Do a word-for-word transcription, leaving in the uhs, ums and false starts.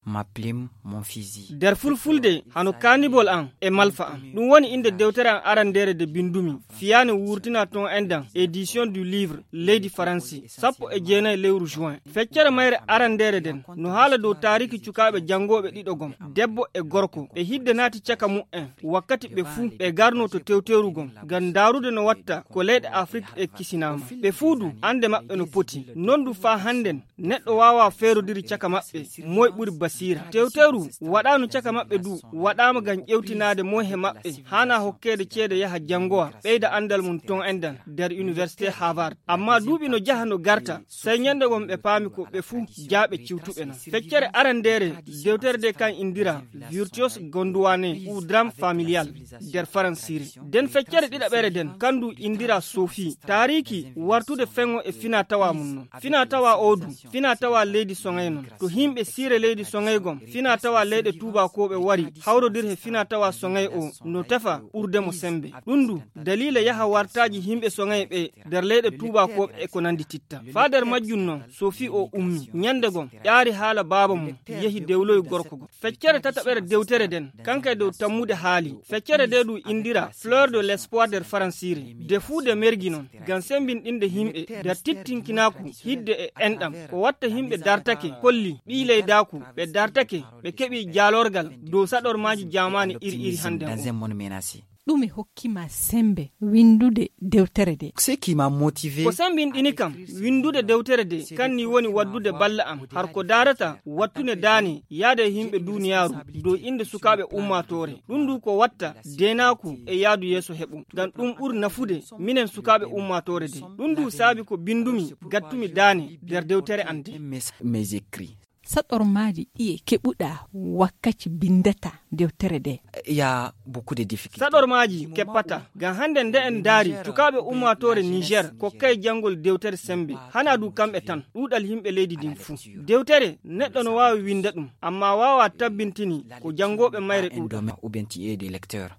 Ma plume, mon fusil. Nder fulfulde, hano kaanibol an e malfa an. Ɗum woni innde dewtere an arandeere nde binndumi. Fiyaane wurtina ton endan, édition du livre, leydi Faransi, sappo e jeenayi lewru juin. Feccere mayre arandeere nden, no haala dow taariki cukaaɓe janngooɓe ɗiɗo gom, debbo e gorko. Ɓe hidde naati caka mu'en, wakkati ɓe fuu ɓe garno to tewteeru gom, ngam ndaarude no watta ko leyɗe Afrik e kisinaama. Ɓe fuu du, annde maɓɓe no poti. Non du faa hannden, neɗɗo waawaa feerodiri caka maɓɓe, moy ɓuri basiira. Tewteeru waɗaano caka maɓɓe du, waɗaama ngam ƴewtinaade moy he maɓɓe haanaa hokkeede ceede yaha janngowa, ɓeyda anndal mum ton endan nder Université Harvard. Amma duuɓi no jaha no garta, sey ñande gom ɓe paami ko ɓe fuu jaaɓe ciwtuɓe non. Feccere arandeere dewtere nde kan indira Virtuose Gondouane ou Drame Familial nder Faransiire. Den feccere ɗiɗaɓere den, kandu indira Sophie. Taariki wartude feŋo e finaa tawa mum non. Finaa tawa o du, finaa tawa leydi Soŋay non. To himɓe siire leydi Soŋay gom, finaa tawa leyɗe tuubakooɓe wari, hawrodir he finaa tawa Soŋay o, no tefa ɓurde mo sembe. Ɗum du, daliila yaha wartaaji himɓe Soŋay ɓe nder leyɗe tuubakooɓe e ko nandi titta. Faa nder majjum non, Sophie o ummi. Ñande gom, ƴaari haala baaba mum, yehi dewloy gorko gom. Feccere tataɓere dewtere den, kankay dow tammude haali. Feccere de ɗum indira Fleur de l'Espoir nder Faransiire. De fuu de mergi non, ngam sembinɗinde himɓe, nder tittinkinaaku, hidde e enɗam. Ko watta himɓe dartake, kolli, ɓii leydaaku, ɓe dartake, ɓe keɓi jaalorgal dow saɗormaaji jaamaani iri iri hannde on. Ɗume hokki ma sembe windude dewtere de? Ko sembinɗini kam windude dewtere de, kan ni woni waddude balla am, har ko daarata wattude daane yaade e himɓe duniyaaru dow innde sukaaɓe ummaatoore. Ɗum du ko watta deenaaku e yaadu yeeso heɓo, ngam ɗum ɓuri nafude minen sukaaɓe ummaatoore de. Ɗum du saabi ko bindumi, gattumi daane nder dewtere an de. Mes écrits. Saɗormaaji ɗiye keɓuɗa wakkaci bindata dewtere de? Ya beaucoup de difficultés. Saɗormaaji keppata. Ngam hannde nde en ndaari, sukaaɓe ummaatoore Niger kokkay janngol dewtere sembe. Hana du kamɓe tan, ɗuuɗal yimɓe leydi ndin fuu. Dewtere, neɗɗo no waawi winnda ɗum, amma waawaa tabbintini ko janngooɓe mayre ɗuuɗata. Ou bien tu es des lecteurs.